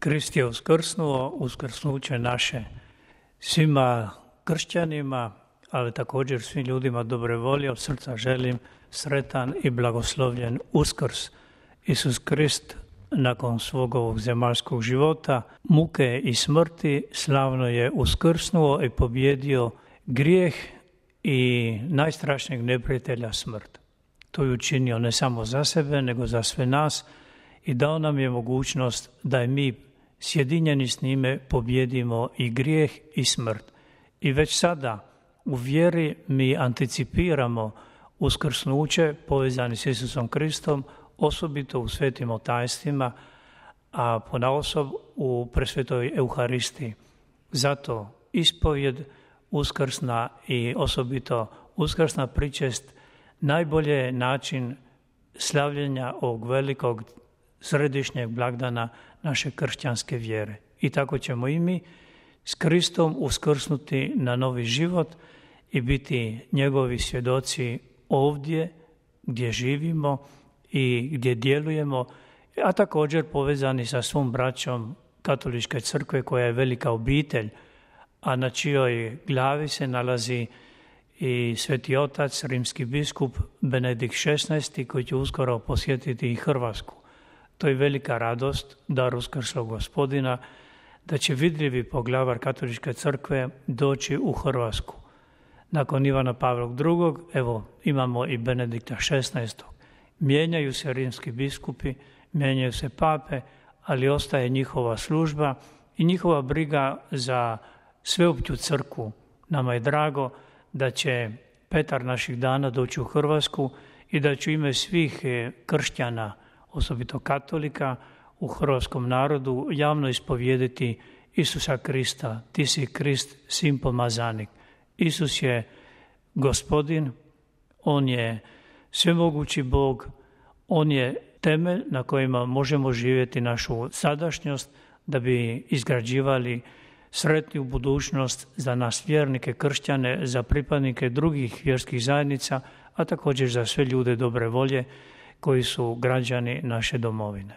Krist je uskrsnuo, uskrsnuće naše svima kršćanima, ali također svim ljudima dobre volje. Od srca želim sretan i blagoslovljen Uskrs. Isus Krist nakon svog ovog zemaljskog života, muke i smrti, slavno je uskrsnuo i pobjedio grijeh i najstrašnijeg neprijatelja smrt. To je učinio ne samo za sebe, nego za sve nas i dao nam je mogućnost da i mi sjedinjeni s njime pobjedimo i grijeh i smrt. I već sada u vjeri mi anticipiramo uskrsnuće povezani s Isusom Kristom, osobito u svetim otajstvima, a ponaosob u presvetoj Euharistiji. Zato ispovjed uskrsna i osobito uskrsna pričest najbolje je način slavljenja ovog velikog središnjeg blagdana naše kršćanske vjere. I tako ćemo i mi s Kristom uskrsnuti na novi život i biti njegovi svjedoci ovdje gdje živimo i gdje djelujemo, a također povezani sa svom braćom Katoličke crkve koja je velika obitelj, a na čijoj glavi se nalazi i Sveti Otac, rimski biskup Benedikt XVI, koji će uskoro posjetiti i Hrvatsku. To je velika radost, dar uskrslog Gospodina, da će vidljivi poglavar Katoličke crkve doći u Hrvatsku. Nakon Ivana Pavla II, evo, imamo i Benedikta XVI. Mijenjaju se rimski biskupi, mijenjaju se pape, ali ostaje njihova služba i njihova briga za sveopću crkvu. Nama je drago da će Petar naših dana doći u Hrvatsku i da će u ime svih kršćana, osobito katolika, u hrvatskom narodu javno ispovijediti Isusa Krista. Ti si Krist, sin pomazanik. Isus je Gospodin, on je svemogući Bog, on je temelj na kojima možemo živjeti našu sadašnjost da bi izgrađivali sretniju budućnost za nas vjernike, kršćane, za pripadnike drugih vjerskih zajednica, a također za sve ljude dobre volje koji su građani naše domovine.